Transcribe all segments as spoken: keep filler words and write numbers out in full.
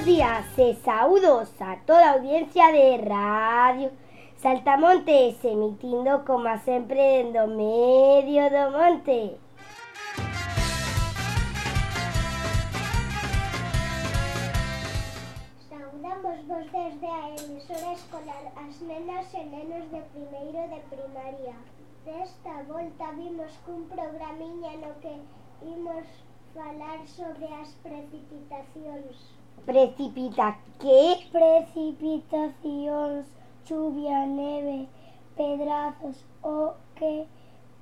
Buenos días e saúdos a toda a audiencia de Radio Saltamontes, emitindo como sempre dentro medio do monte. Saudamos vos desde a emisora escolar as nenas e nenos de primeiro de primaria. Desta volta vimos cun programiña no que imos falar sobre as precipitacións. Precipita que? Precipitacións, chuvia, neve, pedrazos, o que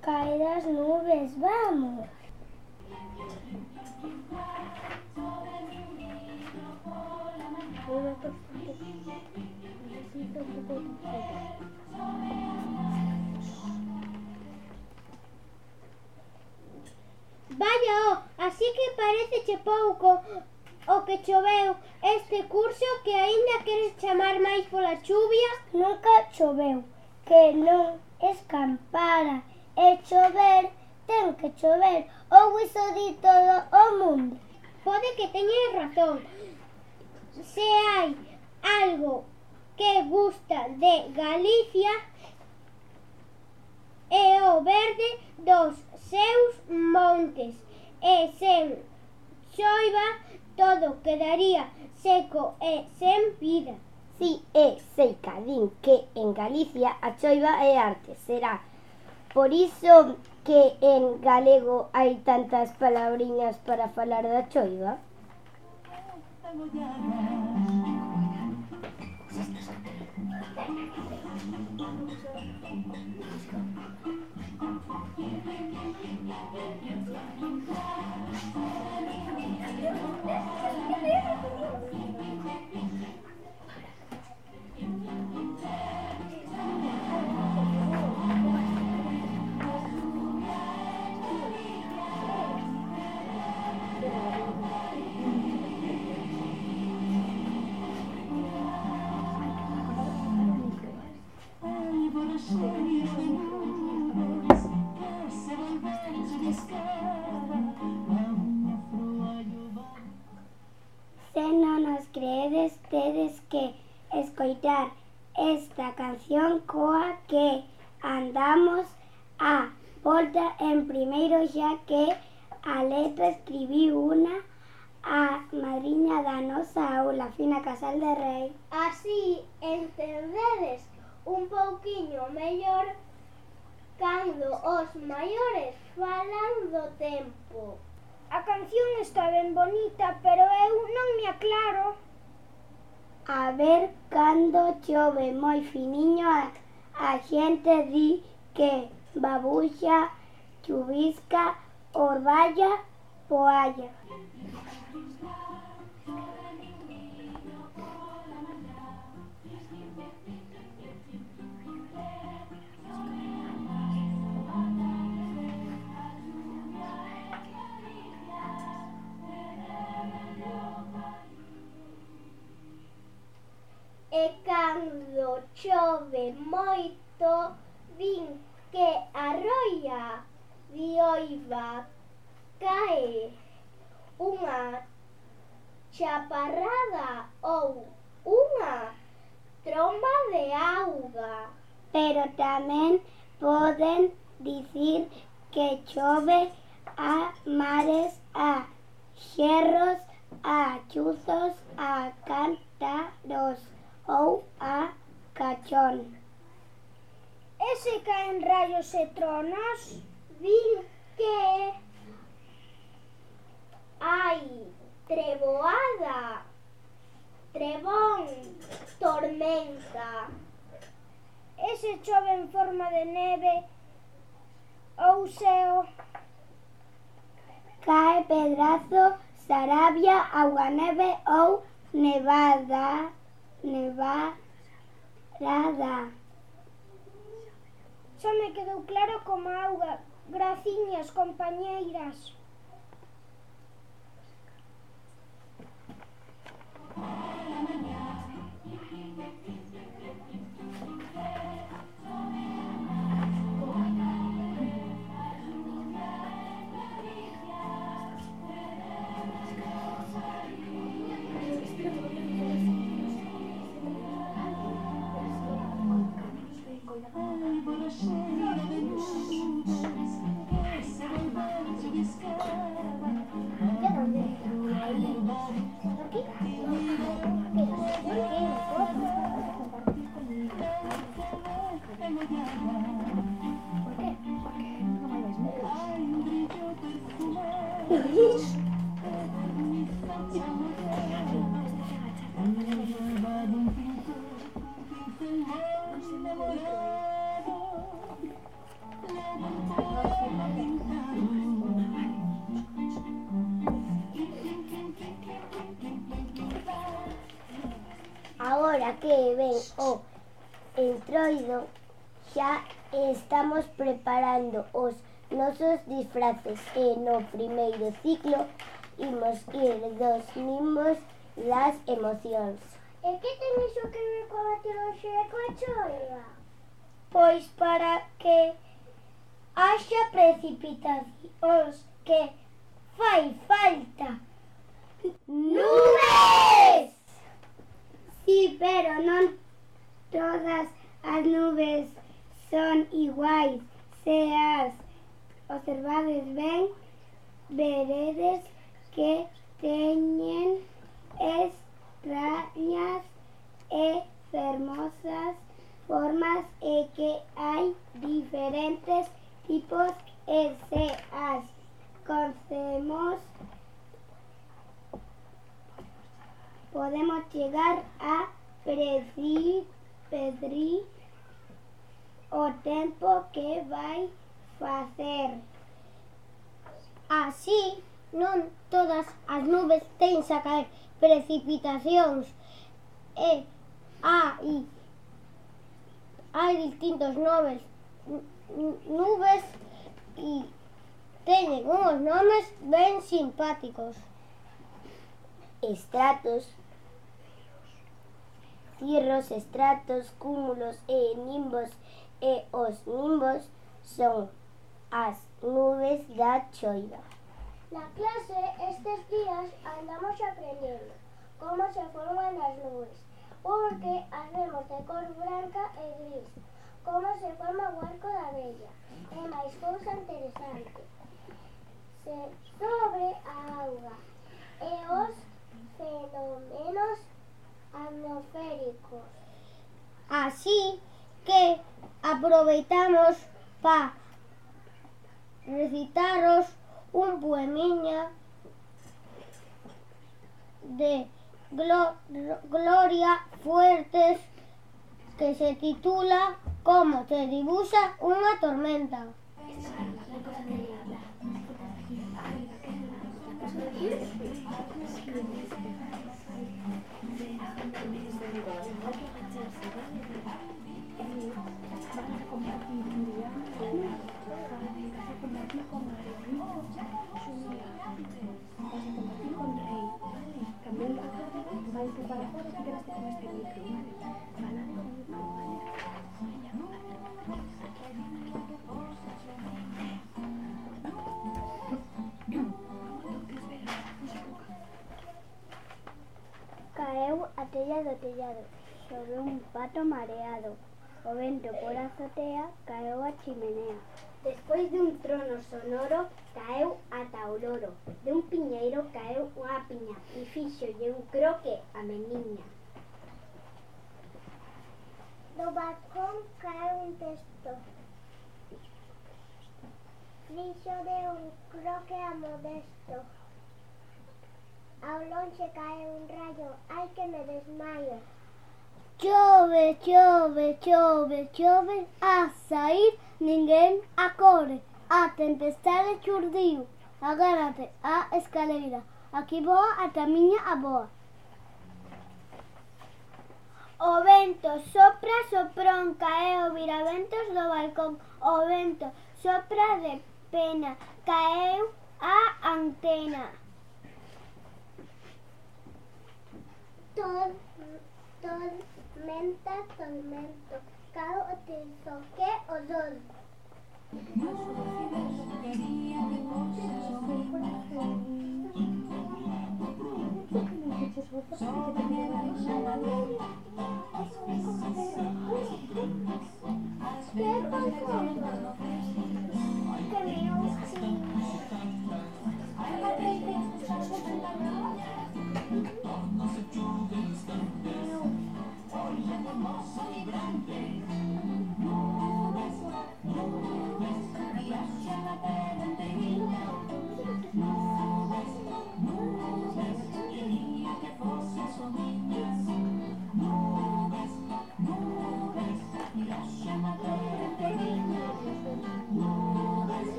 cae das nubes, vamos. Vaya, oh, así que pareceche pouco o que choveu este curso, que aínda queres chamar máis pola chuvia? Nunca choveu, que non escampara, e chover ten que chover, ou iso di todo o mundo. Pode que teñas razón. Se hai algo que gusta de Galicia é o verde dos seus montes, e sen choiva todo quedaría seco e sen vida. Si, é sei cadín que en Galicia a choiva é arte, será por iso que en galego hai tantas palabriñas para falar da choiva. Se non nos creedes, tedes que escoitar esta canción coa que andamos a volta en primeiro, xa que a letra escribiu unha a madriña da nosa aula, Fina Casal de Rei. Así entendedes un pouquiño mellor cando os maiores falan do tempo. A canción está ben bonita, pero eu non me aclaro. A ver, cando chove moi finiño, a, a xente di que babuxa, chuvisca, orballa, poalla. E cando chove moito, din que arroia dioiva, cae unha chaparrada ou unha tromba de auga. Pero tamén poden dicir que chove a mares, a xerros, a chuzos, a cántaros ou a cachón. E se caen rayos e tronos? Din que hai treboada, trebón, tormenta. E se chove en forma de neve ou seo? Cae pedrazo, sarabia, auganeve ou nevada, nevarada. Só me quedou claro como auga. Graciñas, compañeiras. Agora que ven o entroido, xa estamos preparando os nosos disfraces e no primeiro ciclo imos ir dos nimbos das emocións. E que ten iso que ver coa meteoroloxía e coa choiva? Pois para que haxa precipitacións que fai falta Nubes! Sí, pero non todas as nubes son iguais. Se as observades ben, veredes que teñen extrañas e fermosas formas e que hai diferentes tipos e se as conocemos podemos chegar a predecir, predecir o tempo que vai facer. Así, non todas as nubes teñen a caer precipitacións e hai, hai distintos nubes, nubes e teñen uns nomes ben simpáticos. Estratos, cirros, estratos, cúmulos e nimbos, e os nimbos son as nubes da choiva. Na clase estes días andamos aprendendo como se forman as nubes, porque as vemos de cor branca e gris, como se forma o arco da vella, e máis cousa interesante, se sobre a auga e os fenómenos atmosféricos. Así que aproveitamos para recitaros un poemiña de Glo- Gloria Fuertes que se titula Como se dibuxa unha tormenta. Caeu a tella do tellado, sobre un pato mareado. O vento por a azotea caeu a chimenea. Despois dun trono sonoro caeu ata o loro. De un piñeiro caeu unha piña e fíxolle un croque a meniña. Do balcón caeu un texto. Fixo de un croque a Modesto. Ao lonxe cae un rayo, ai que me desmaio. Chove, chove, chove, chove, a saír ninguén acorre. A tempestade churdiu, agárrate a escaleira, aquí voa ata miña aboa. O vento sopra, soprón, caeu viraventos do balcón. O vento sopra de pena, caeu a antena. Tol, tormenta, tormento, caeu o tezo, que o dol. Que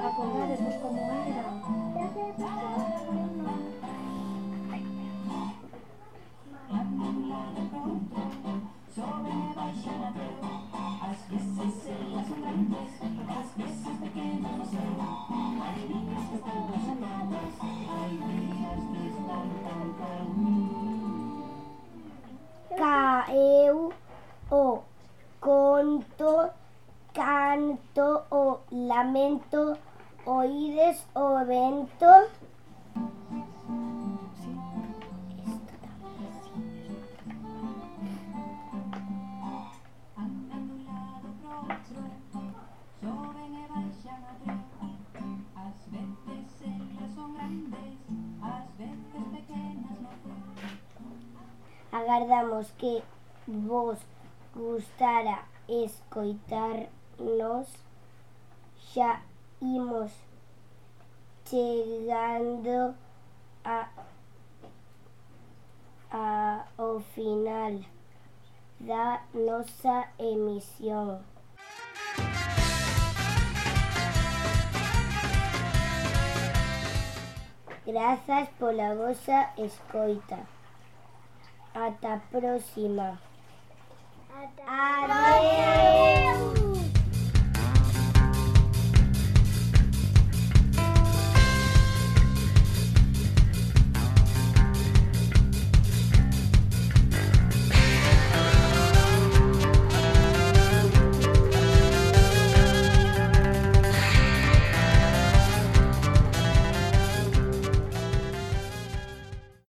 Acordadesvos como era. Caeu o conto, canto o lamento, oídes o vento. Agardamos que vos gustara escoitarnos. Xa imos chegando a, a, ao final da nosa emisión. Grazas pola vosa escoita. Ata a próxima. Ata Adeus.